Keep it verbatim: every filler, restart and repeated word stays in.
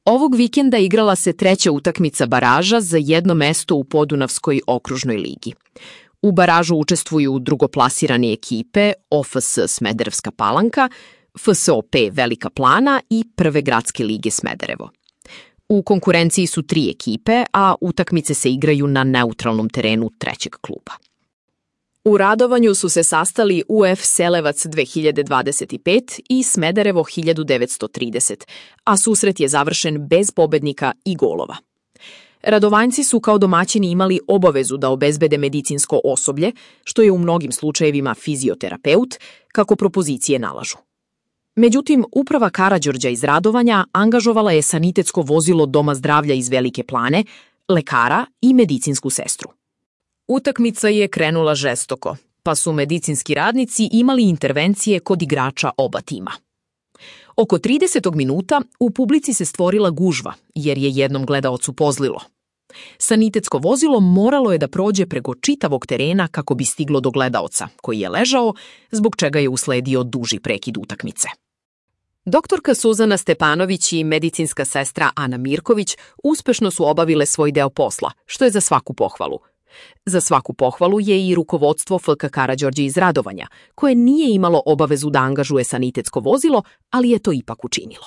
Ovog vikenda igrala se treća utakmica baraža za jedno mesto u Podunavskoj okružnoj ligi. U baražu učestvuju drugoplasirane ekipe O F S Smederevska Palanka, F S O P Velika Plana i Prve gradske lige Smederevo. U konkurenciji su tri ekipe, a utakmice se igraju na neutralnom terenu trećeg kluba. U Radovanju su se sastali U F Selevac dve hiljade dvadeset pet i Smederevo hiljadu devetsto trideset, a susret je završen bez pobednika i golova. Radovanjci su kao domaćini imali obavezu da obezbede medicinsko osoblje, što je u mnogim slučajevima fizioterapeut, kako propozicije nalažu. Međutim, uprava Karađorđa iz Radovanja angažovala je sanitetsko vozilo Doma zdravlja iz Velike Plane, lekara i medicinsku sestru. Utakmica je krenula žestoko, pa su medicinski radnici imali intervencije kod igrača oba tima. Oko tridesetog minuta u publici se stvorila gužva, jer je jednom gledaocu pozlilo. Sanitetsko vozilo moralo je da prođe preko čitavog terena kako bi stiglo do gledaoca, koji je ležao, zbog čega je usledio duži prekid utakmice. Doktorka Suzana Stepanović i medicinska sestra Ana Mirković uspešno su obavile svoj deo posla, što je za svaku pohvalu. Za svaku pohvalu je i rukovodstvo F K Karađorđe iz Radovanja, koje nije imalo obavezu da angažuje sanitetsko vozilo, ali je to ipak učinilo.